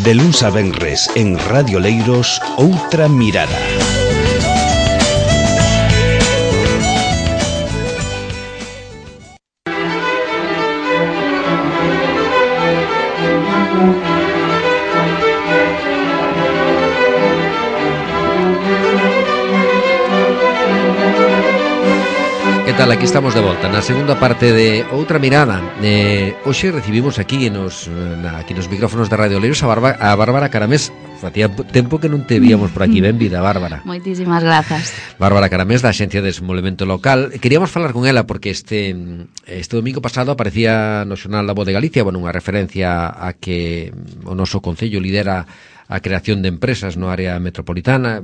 De luns a venres en Radio Oleiros, Outra Mirada. Que tal? Aquí estamos de volta na segunda parte de Outra Mirada. Hoxe recibimos aquí nos micrófonos de Radio Oleiros a Bárbara Caramés. Facía tempo que non te víamos por aquí. Benvida, Bárbara. Moitísimas grazas. Bárbara Caramés, da Axencia de Desenvolvemento Local. Queríamos falar con ela porque este domingo pasado aparecía no xornal La Voz de Galicia, unha referencia a que o noso concello lidera a creación de empresas no área metropolitana.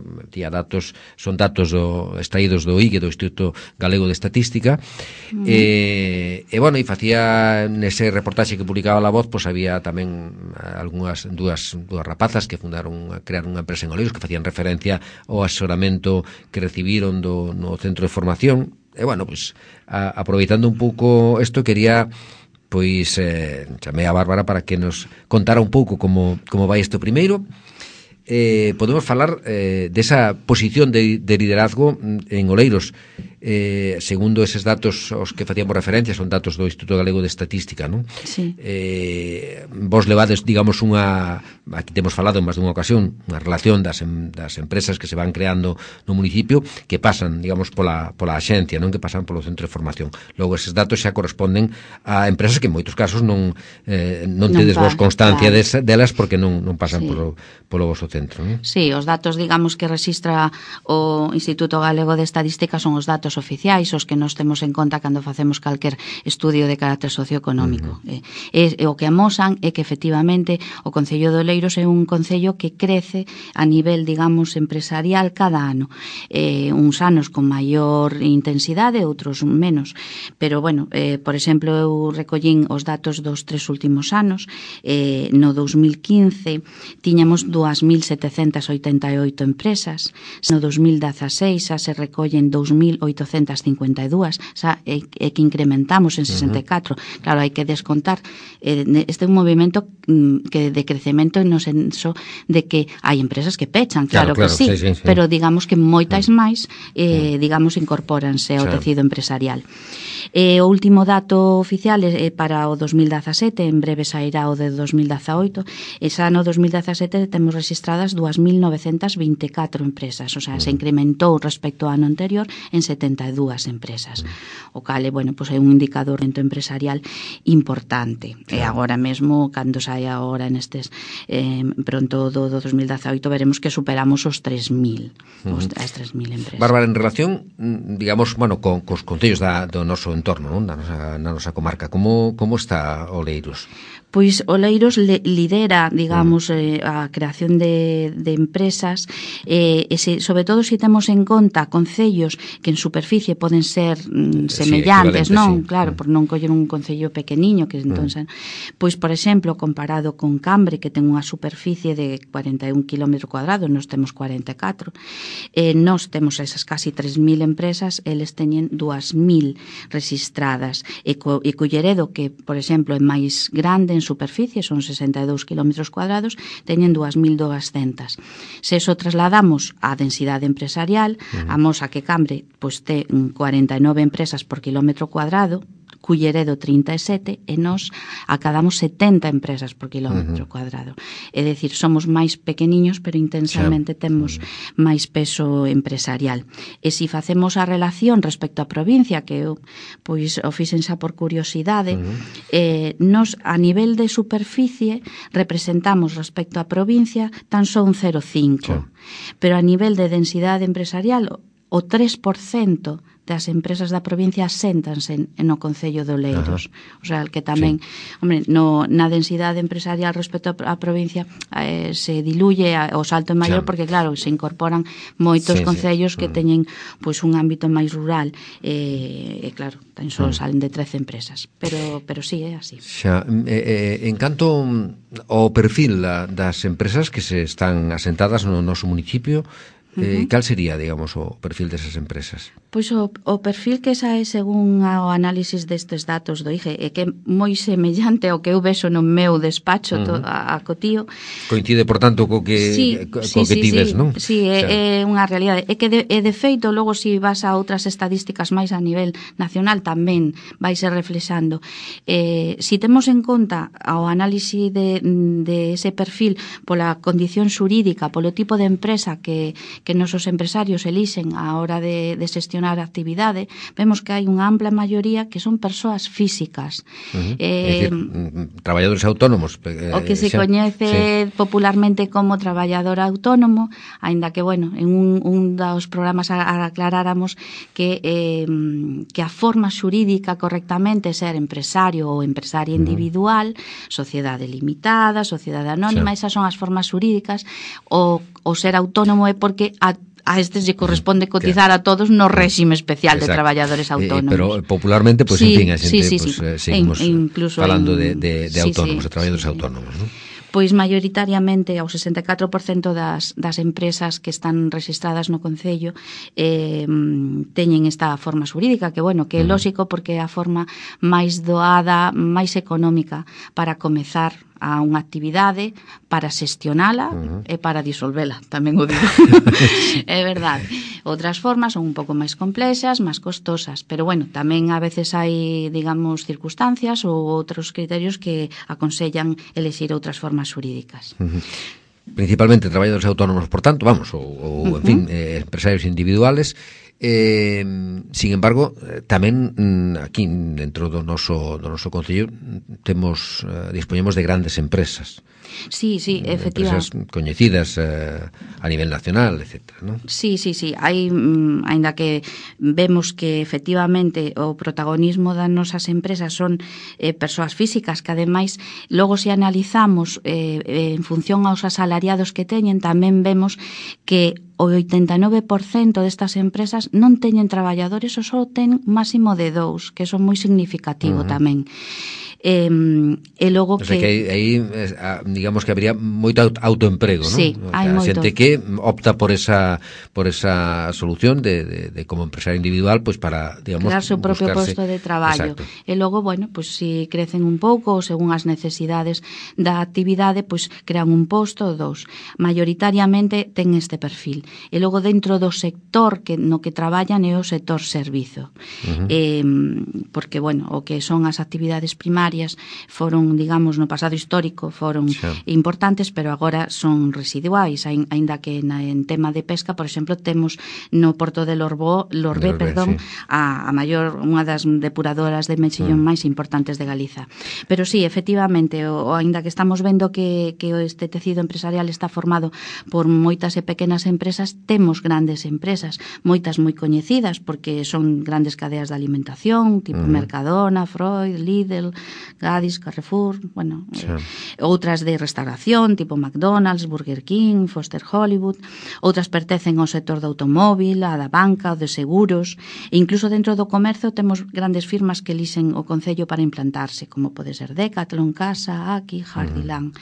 Son datos extraídos do IGE, do Instituto Galego de Estatística. E facía nese reportaxe que publicaba La Voz, pois había tamén dúas rapazas que crearon unha empresa en Oleiros, que facían referencia ao asesoramento que recibiron no centro de formación. E aproveitando un pouco isto, quería chamei a Bárbara para que nos contara un pouco como vai isto primeiro. Podemos falar desa posición de liderazgo en Oleiros. Segundo eses datos aos que facíamos referencia, son datos do Instituto Galego de Estatística, non? Sí. Vos levades, digamos, aquí temos falado en máis dunha ocasión, unha relación das empresas que se van creando no municipio, que pasan, digamos, pola axencia, non? Que pasan polo centro de formación. Logo, eses datos xa corresponden a empresas que en moitos casos non tedes vos constancia delas porque non pasan polo vosso centro, non? Sí, os datos, digamos, que registra o Instituto Galego de Estadística son os datos oficiais, os que nos temos en conta cando facemos calquer estudio de carácter socioeconómico. O que amosan é que efectivamente o Concello de Oleiros é un concello que crece a nivel, digamos, empresarial cada ano. Uns anos con maior intensidade, outros menos. Pero, por exemplo, eu recollín os datos dos 3 últimos anos. No 2015 tiñamos 2.788 empresas. No 2016 xa se recollen 2.852, xa é que incrementamos en 64. Claro, hai que descontar. Este é un movimento de crecemento no senso de que hai empresas que pechan, claro que sí, pero digamos que moitas máis digamos incorpóranse ao tecido empresarial. O último dato oficial é para o 2017, en breve sairá o de 2018, e xa no 2017 temos registradas 2.924 empresas, o sea, se incrementou respecto ao ano anterior en 72 empresas, o cal é un indicador empresarial importante. E agora mesmo, cando saia agora nestes pronto do 2018, veremos que superamos os 3.000 as 3.000 empresas. Bárbara, en relación, digamos, cos concellos do noso entorno, non? Na nosa comarca, como está Oleiros? Pois Oleiros lidera, digamos, a creación de empresas, sobre todo se temos en conta concellos que en superficie poden ser semellantes, non? Sí. Claro, por non coller un concello pequeniño, que entón, pois, por exemplo, comparado con Cambre, que ten unha superficie de 41 km cuadrados, nós temos 44, nós temos esas casi 3.000 empresas, eles teñen 2.000 registradas, e Culleredo, que, por exemplo, é máis grande en superficie, son 62 km cuadrados, teñen 2.200. Se eso trasladamos á densidade empresarial, amosa que Cambre ten 49 empresas por kilómetro cuadrado, Culleredo 37, e nós acadamos 70 empresas por kilómetro cuadrado. É dicir, somos máis pequeniños, pero intensamente temos máis peso empresarial. E se facemos a relación respecto á provincia, que eu o fixen xa por curiosidade, nós a nivel de superficie representamos respecto á provincia tan só un 0,5, pero a nivel de densidade empresarial o 3% das empresas da provincia aséntanse no Concello de Oleiros. O sea, que tamén, na densidade empresarial respecto á provincia se diluye, o salto é maior porque, claro, se incorporan moitos concellos que teñen un ámbito máis rural e claro, tan só salen de 13 empresas. Pero sí, é así. En canto ao perfil das empresas que se están asentadas no noso municipio, Cal sería, digamos, o perfil desas empresas? Pois o perfil que sae según o análisis destes datos do IGE é que é moi semellante ao que eu vexo no meu despacho a cotío. Coincide, por tanto, co que ti ves, non? Sí, é unha realidade. É que de feito, logo se vas a outras estadísticas máis a nivel nacional tamén vai ser reflexando. Si temos en conta o análisis de ese perfil pola condición xurídica, polo tipo de empresa que nosos empresarios elixen á hora de xestionar a actividade, vemos que hai unha ampla maioría que son persoas físicas. É dicir, traballadores autónomos. O que se coñece popularmente como traballador autónomo, aínda que, bueno, en un dos programas aclaráramos que a forma xurídica correctamente é ser empresario ou empresaria individual, sociedade limitada, sociedade anónima, esas son as formas xurídicas. O ser autónomo é porque a estes lle corresponde cotizar a todos no réxime especial de traballadores autónomos. Pero popularmente, pues, en fin, a xente seguimos falando de autónomos, de traballadores autónomos, non? Pois maioritariamente ao 64% das empresas que están registradas no Concello teñen esta forma xurídica, que, bueno, que é lóxico porque é a forma máis doada, máis económica para comezar a unha actividade, para xestionala e para disolvela, tamén o digo. É verdade. Outras formas son un pouco máis complexas, máis costosas, pero, bueno, tamén a veces hai, digamos, circunstancias ou outros criterios que aconsellan elexir outras formas xurídicas. Principalmente traballadores autónomos, por tanto, vamos, ou en fin, empresarios individuales. Sin embargo, tamén aquí dentro do noso concello dispoñemos de grandes empresas. Sí, efectivamente. Empresas coñecidas a nivel nacional, etcétera, non? Sí. Hai, aínda que vemos que efectivamente o protagonismo das nosas empresas son persoas físicas que, ademais, logo se analizamos en función aos asalariados que teñen, tamén vemos que o 89% destas empresas non teñen traballadores ou só ten máximo de 2, que son moi significativo tamén. E logo que aí digamos que habría moito autoemprego, non? Sí, hai moito. Xente que opta por esa solución de como empresario individual, pois para, digamos, crear seu propio posto de traballo. Exacto. E logo, bueno, pois si crecen un pouco ou según as necesidades da actividade, pois crean un posto ou 2. Maioritariamente ten este perfil. E logo dentro do sector no que traballan é o sector servizo. Porque, bueno, o que son as actividades primarias foron, digamos, no pasado histórico foron importantes, pero agora son residuais, aínda que en tema de pesca, por exemplo, temos no Porto de Lorbé, a maior, unha das depuradoras de mexillón máis importantes de Galiza. Pero sí, efectivamente, aínda que estamos vendo que este tecido empresarial está formado por moitas e pequenas empresas, temos grandes empresas, moitas moi coñecidas, porque son grandes cadeas de alimentación, tipo Mercadona, Freud, Lidl, Gadis, Carrefour, bueno, outras de restauración, tipo McDonald's, Burger King, Foster Hollywood, outras pertencen ao sector do automóvil, a da banca, o de seguros, e incluso dentro do comercio temos grandes firmas que elixen o Concello para implantarse, como pode ser Decathlon, Casa, Aki, Jardiland.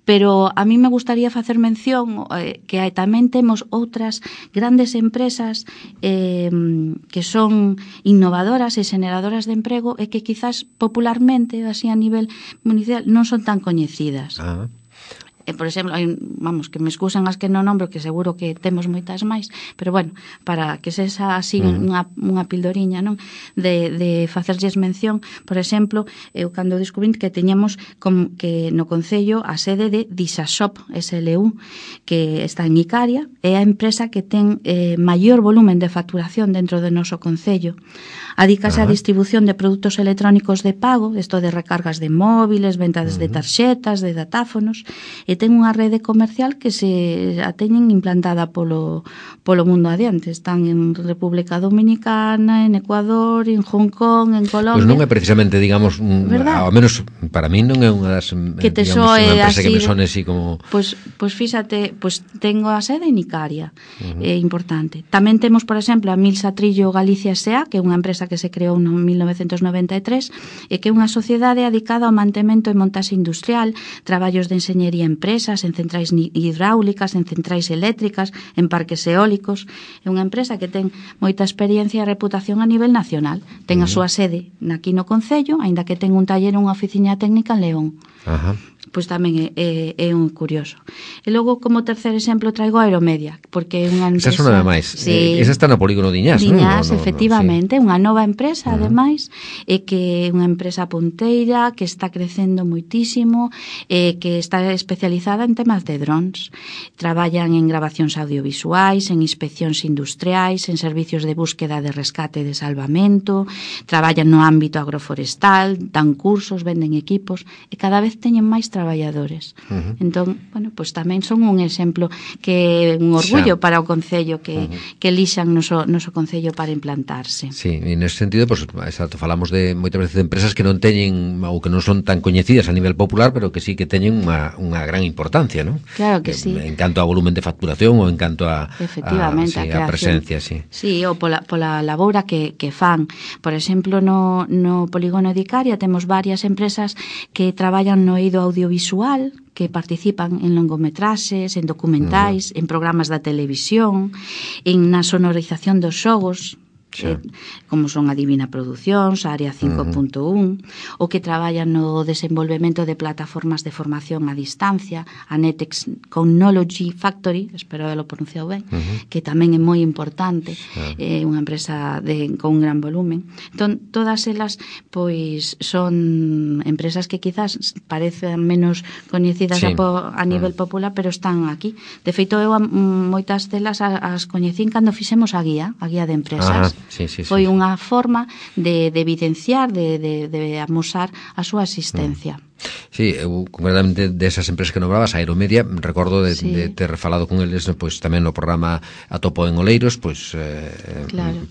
Pero a mí me gustaría facer mención que tamén temos outras grandes empresas que son innovadoras e xeneradoras de emprego e que quizás popularmente, así a nivel municipal, non son tan coñecidas. Por exemplo, vamos, que me excusan as que non nombro, que seguro que temos moitas máis, pero bueno, para que se así unha pildoriña, non? De facerlles mención, por exemplo, eu cando descubrín que teñamos que no Concello a sede de Dixashop SLU, que está en Icaria, é a empresa que ten maior volumen de facturación dentro do noso Concello. Adícase á distribución de produtos electrónicos de pago, isto de recargas de móviles, ventas de tarxetas, de datáfonos, e ten unha rede comercial que se a teñen implantada polo mundo adiante. Están en República Dominicana, en Ecuador, en Hong Kong, en Colombia. Pois non é precisamente, digamos, ao menos para mí non é unha das, digamos, unha empresa que me sone así como... Pois fíxate, tengo a sede en Icaria, é importante. Tamén temos, por exemplo, a Milsa Trillo Galicia S.A., que é unha empresa que se creou en 1993 e que é unha sociedade dedicada ao mantemento e montaxe industrial, traballos de enxeñería en empresas, en centrais hidráulicas, en centrais eléctricas, en parques eólicos. É unha empresa que ten moita experiencia e reputación a nivel nacional. Ten a súa sede aquí no Concello, aínda que ten un taller e unha oficina técnica en León. Ajá. Pois tamén é un curioso. E logo, como terceiro exemplo, traigo a Aeromedia, porque é unha empresa... Esa é unha máis. Sí, esa está no polígono Diñás, non? Diñás, efectivamente, sí. Unha nova empresa, ademais, e que é unha empresa punteira, que está crecendo moitísimo, que está especializada en temas de drones. Traballan en grabacións audiovisuais, en inspeccións industriais, en servicios de búsqueda de rescate e de salvamento, traballan no ámbito agroforestal, dan cursos, venden equipos, e cada vez teñen máis traballadores. Entón, bueno, pues tamén son un exemplo que é un orgullo para o Concello que elixan noso Concello para implantarse. Sí, en ese sentido, pues, exacto, falamos de moitas veces de empresas que non teñen ou que non son tan coñecidas a nivel popular, pero que sí que teñen unha gran importancia, ¿no? Claro que sí. En canto a volumen de facturación ou en canto a efectivamente, a presencia, sí. Sí, ou pola labora que fan. Por exemplo, no polígono de Icaria temos varias empresas que traballan no eido audiovisual, que participan en longometraxes, en documentais, en programas da televisión, na sonorización dos xogos, como son a Divina Producións, a Área 5.1, o que traballan no desenvolvemento de plataformas de formación a distancia, a Netex Technology Factory, espero haberlo pronunciado ben, que tamén é moi importante, unha empresa con un gran volumen. Entón, todas elas pois son empresas que quizás parecen menos coñecidas a nivel popular, pero están aquí. De feito, eu moitas delas as coñecín cando fixemos a guía de empresas. Foi unha forma de evidenciar, de amosar a súa existencia. Sí, eu concretamente desas empresas que nombrabas, Aeromedia, recordo de ter falado con eles, pois tamén no programa Atopo en Oleiros, pois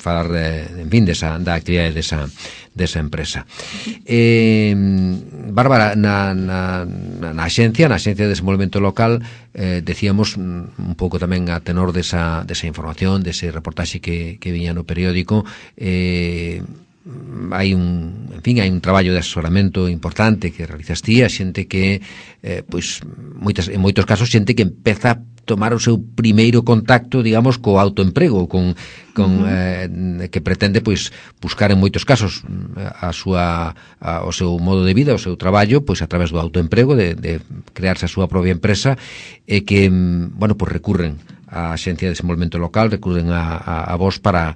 falar en fin da actividade desa empresa. Bárbara, na Axencia de Desenvolvemento Local, decíamos un pouco tamén a tenor desa información, dese reportaxe que viña no periódico, hai un traballo de asesoramento importante que realizas ti, a xente que pois en moitos casos xente que empeza a tomar o seu primeiro contacto, digamos, co autoemprego, que pretende pois buscar en moitos casos o seu modo de vida, o seu traballo, pois a través do autoemprego, de crearse a súa propia empresa, e que, bueno, pois recurren á Axencia de Desenvolvemento Local, recurren a vos para,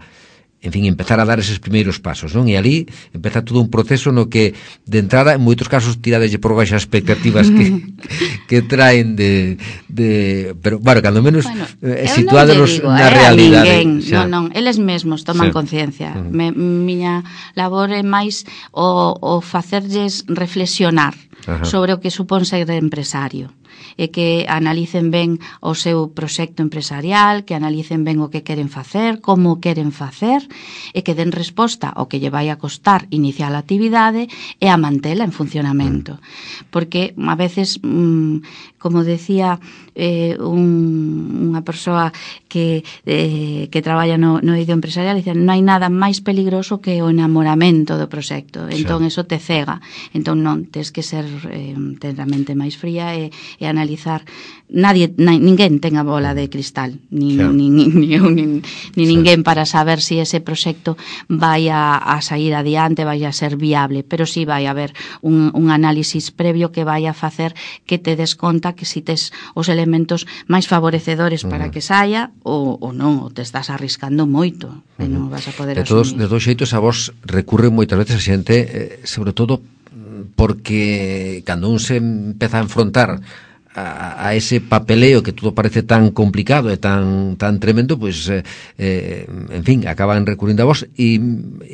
en fin, empezar a dar eses primeiros pasos, non? E ali empeza todo un proceso no que, de entrada, en moitos casos tiradeslle por baixo as expectativas que traen pero, bueno, cando menos situádonos na realidade. Non, eles mesmos toman conciencia. Miña labor é máis o facerlles reflexionar sobre o que supón ser empresario, e que analicen ben o seu proxecto empresarial, que analicen ben o que queren facer, como queren facer, e que den resposta ao que lle vai a costar iniciar a actividade e a mantela en funcionamento. Porque a veces, como decía unha persoa que traballa no eido empresarial, dice, non hai nada máis peligroso que o enamoramento do proxecto, entón eso te cega. Entón non, tens que ser ter a mente máis fría e analizar. Ninguén ten a bola de cristal, ni eu, ni ninguén, para saber si ese proxecto vai a sair adiante, vai a ser viable, pero si vai a haber un análisis previo que vai a facer que te des conta que si tes os elementos máis favorecedores para que saia ou non, ou te estás arriscando moito e non vas a poder asumir. De todos xeitos, a vos recurren moitas veces a xente, sobre todo porque cando un se empeza a enfrontar a ese papeleo que todo parece tan complicado e tan tremendo, pues en fin, acaban recurrindo a vos e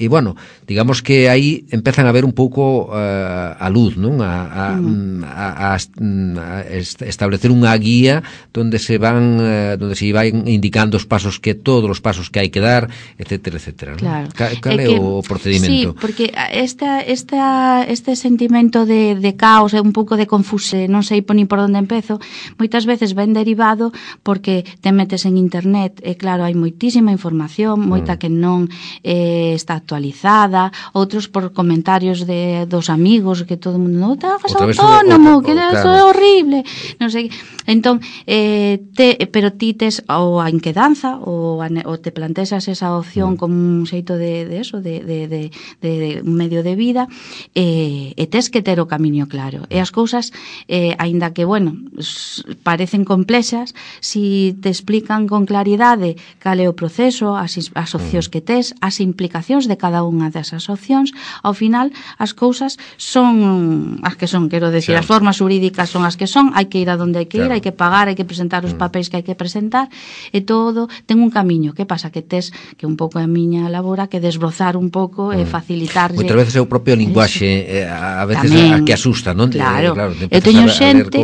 bueno, digamos que aí empezan a ver un pouco a luz, non? A establecer unha guía donde se van indicando os pasos todos os pasos que hai que dar, etcétera, etcétera, ¿no? Claro. Cal é o procedimento? Sí, porque este sentimento de caos e un pouco de confusión, non sei ni por onde empezo, moitas veces ven derivado porque te metes en internet e claro, hai moitísima información, moita que non está actualizada, outros por comentarios dos amigos que todo o mundo non te hagas autónomo, que eso é horrible, non sei. Entón, pero ti tes ou a inquedanza ou te plantexas esa opción como un xeito de un medio de vida e tes que ter o camiño claro. E as cousas, aínda que, bueno, parecen complexas, si te explican con claridade cal é o proceso, as opcións que tes, as implicacións de cada unha desas opcións, ao final as cousas son as que son, quero decir, as formas jurídicas son as que son, hai que ir a donde hai que ir, hai que pagar, hai que presentar os papéis que hai que presentar, e todo ten un camiño. Que pasa? Que tes que un pouco a miña labora que desbrozar un pouco e facilitar. Moitas veces é o propio linguaxe a veces a que asusta, non? Claro, eu teño xente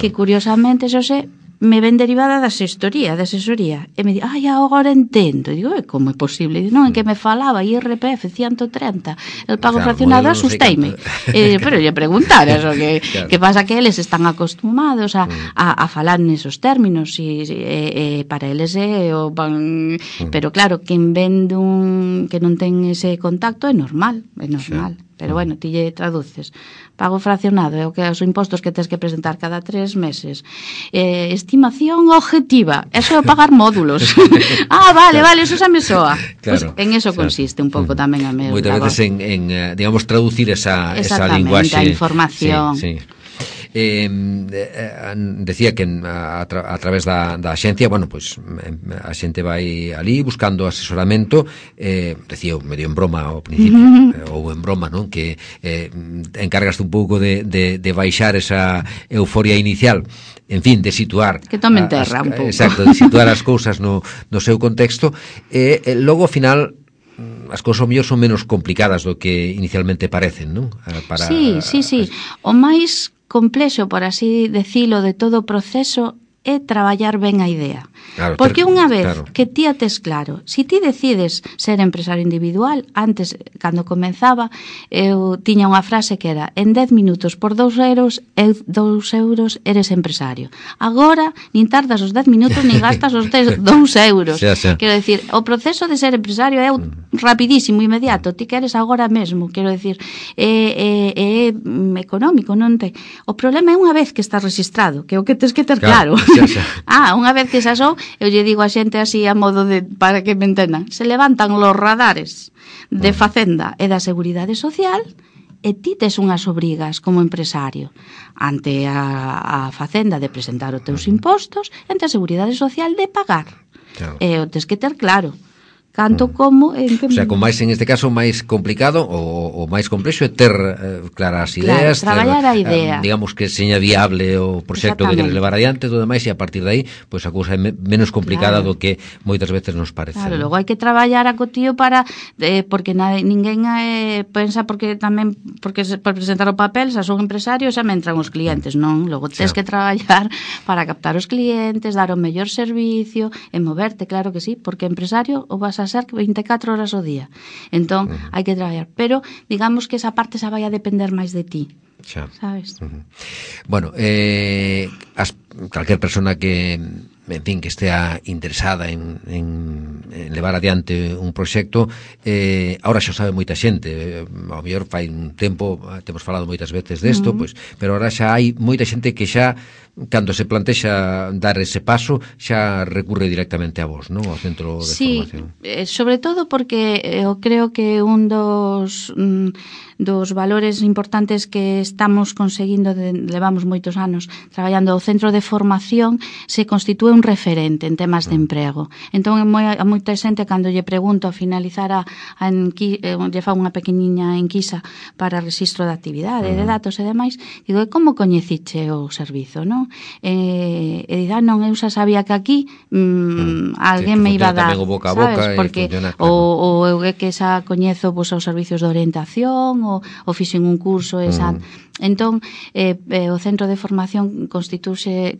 que curiosamente, Xosé, me ven derivada da asesoría, e me di, agora entendo. Digo, como é posible? Non, en que me falaba IRPF 130, el pago fraccionado, asusteime. Pero lle preguntar eso, que pasa que eles están acostumados a falar nesos términos, e para eles van... Pero claro, quen ven que non ten ese contacto é normal. Pero bueno, ti lle traduces. Pago fraccionado é o que os impostos que tens que presentar cada 3 meses. Estimación objetiva, eso é pagar módulos. Vale, eso xa me soa. Claro, pues en eso consiste un pouco tamén a meu. Moitas veces en digamos, traducir esa linguaxe. Exactamente, a información. Sí. Decía que a través da axencia, bueno, pues a xente vai ali buscando asesoramento, decía medio en broma ao principio, ou en broma, non? Que encargaste un pouco de baixar esa euforia inicial, en fin, de situar que tomen terra un pouco. Exacto, de situar as cousas no seu contexto, e logo ao final as cousas ao mellor son menos complicadas do que inicialmente parecen, non? Sí. O máis complexo, por así decilo, de todo o proceso é traballar ben a idea. Claro, porque unha vez que ti a tes claro, si ti decides ser empresario individual, antes, cando comenzaba, eu tiña unha frase que era: en 10 minutos por 2 euros, 2 euros eres empresario. Agora, nin tardas os 10 minutos, nin gastas os 2 euros. Xa. Quero decir, o proceso de ser empresario é rapidísimo, inmediato. Ti queres agora mesmo, quero decir, é económico, non te... O problema é unha vez que estás registrado, que é o que tens que ter claro. Unha vez que xa sou, eu lle digo a xente así a modo de, para que me entendan, se levantan los radares de Facenda e da Seguridade Social e ti tes unhas obrigas como empresario ante a Facenda de presentar os teus impostos, ante a Seguridade Social de pagar. E o tes que ter claro. Canto como... O sea, con máis, en este caso, máis complicado ou máis complexo é ter claras ideas, traballar a idea. Digamos que seña viable o proxecto que queres levar adiante, todo demais, e a partir de aí, pois a cousa é menos complicada do que moitas veces nos parece. Claro, logo hai que traballar a cotío para... porque ninguén pensa porque presentar o papel, xa son empresarios, xa me entran os clientes, non? Logo tens que traballar para captar os clientes, dar o mellor servicio, e moverte, claro que sí, porque empresario o vas a ser 24 horas ao día. Entón, hai que traballar. Pero, digamos que esa parte xa vai a depender máis de ti. Xa. Sabes? Bueno, calquer persona que, en fin, que estea interesada en levar adiante un proxecto, ahora xa sabe moita xente, ao mellor fai un tempo, temos falado moitas veces desto, pois, pero ahora xa hai moita xente que xa, cando se plantexa dar ese paso, xa recurre directamente a vos, non? Ao centro de formación. Sí, sobre todo porque eu creo que un dos valores importantes que estamos conseguindo, levamos moitos anos traballando ao centro de formación, se constitúe un referente en temas de emprego. Entón, a moita xente, cando lle pregunto a finalizar lle fa unha pequeniña enquisa para registro de actividade, de datos e demais, digo, como coñeciche o servizo, non? E dirá, non, eu xa sabía que aquí alguén me iba a dar, sabes? Porque ou eu que xa coñezo os servicios de orientación, ou fixen un curso esa... Entón, o centro de formación constitúyese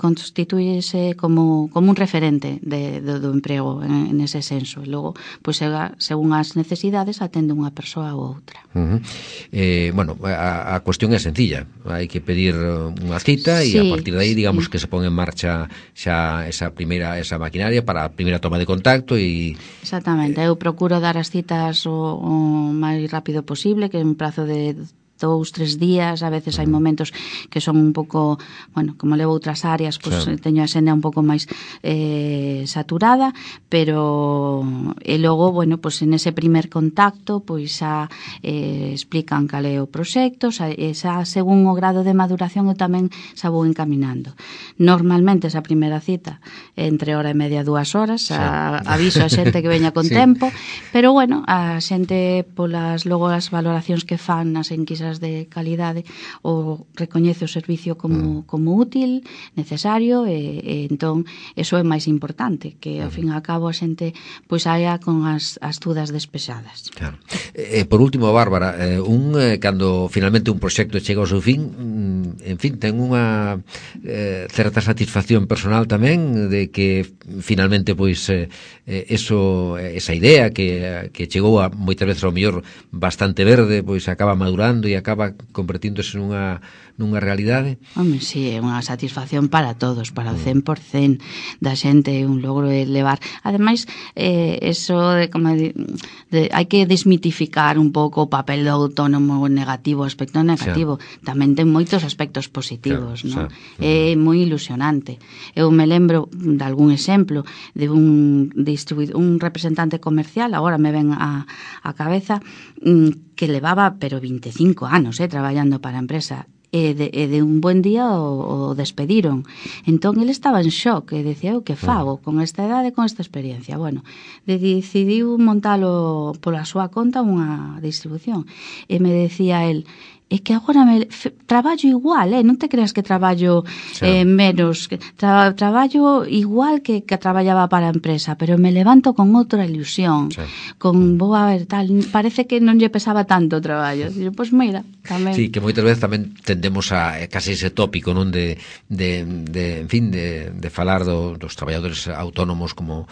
como como un referente do emprego en ese senso. E logo, pois, según as necesidades, atende unha persoa ou outra. Bueno, a cuestión é sencilla. Hai que pedir unha cita e a partir de aí, digamos, que se pon en marcha xa esa maquinaria para a primeira toma de contacto e... Exactamente. Eu procuro dar as citas o máis rápido posible, que en prazo de 2-3 días, a veces hai momentos que son un pouco, bueno, como levo outras áreas, pois teño a xenda un pouco máis saturada, pero e logo, bueno, pois en ese primer contacto, pois xa explican cal é o proxecto, xa según o grado de maduración eu tamén xa vou encaminando. Normalmente esa primeira cita entre hora e media, 2 horas, aviso a xente que veña con tempo, pero bueno, a xente polas logo as valoracións que fan nas enquisas de calidade o recoñece o servicio como útil, necesario e entón eso é máis importante, que ao fin e ao cabo a xente pois saia con as dudas despexadas. Claro. Por último, Bárbara, cando finalmente un proxecto chega ao seu fin, en fin, ten unha certa satisfacción personal tamén de que finalmente pois esa idea que chegou a moitas veces ao mellor bastante verde, pois acaba madurando e acaba convertíndose nunha realidade. Home, sí, é unha satisfacción para todos, para o 100% da xente, un logro elevar. Ademais, eso de como hai que desmitificar un pouco o papel do autónomo negativo, o aspecto negativo. Tamén ten moitos aspectos positivos, non? É moi ilusionante. Eu me lembro de algún exemplo de un representante comercial, agora me ven a cabeza, que levaba, pero 25 anos traballando para a empresa, e de un buen día o despediron. Entón, ele estaba en shock e decía, eu que fago con esta idade, con esta experiencia? Bueno, decidiu montalo pola súa conta unha distribución. E me decía el, é que agora traballo igual, non te creas que traballo menos, traballo igual que traballaba para a empresa, pero me levanto con outra ilusión, con, vou a ver, tal, parece que non lle pesaba tanto o traballo. Digo, pois mira, tamén. Sí, que moitas veces tamén tendemos a casi ese tópico, non, de en fin, de falar dos traballadores autónomos como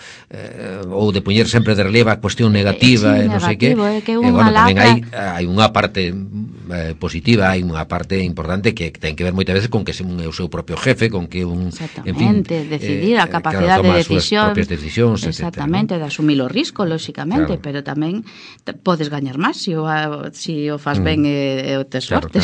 ou de poñer sempre de relieve a cuestión negativa, non sei que. Bueno, tamén hai unha parte positiva, hai unha parte importante que ten que ver moitas veces con que é o seu propio jefe, con que exactamente, decidir a capacidade de decisión, propias decisións, exactamente, de asumir o risco, lóxicamente, pero tamén podes gañar máis se o fas ben e o tes sorte.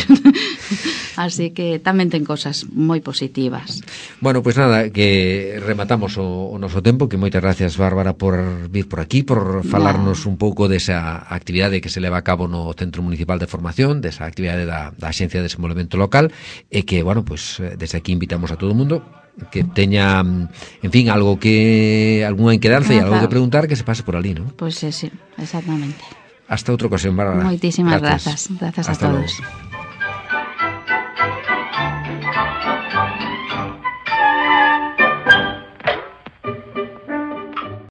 Así que tamén ten cosas moi positivas. Bueno, pois nada, que rematamos o noso tempo, que moitas gracias, Bárbara, por vir por aquí, por falarnos un pouco desa actividade que se leva a cabo no Centro Municipal de Formación, esa actividade da Axencia de Desenvolvemento Local, e que, bueno, pues desde aquí invitamos a todo o mundo que teña, en fin, algunha inquedanza e algo que preguntar, que se pase por ali, ¿no? Pois sí, exactamente. Hasta outra ocasión, Bárbara. Moitísimas grazas a todos. Luego.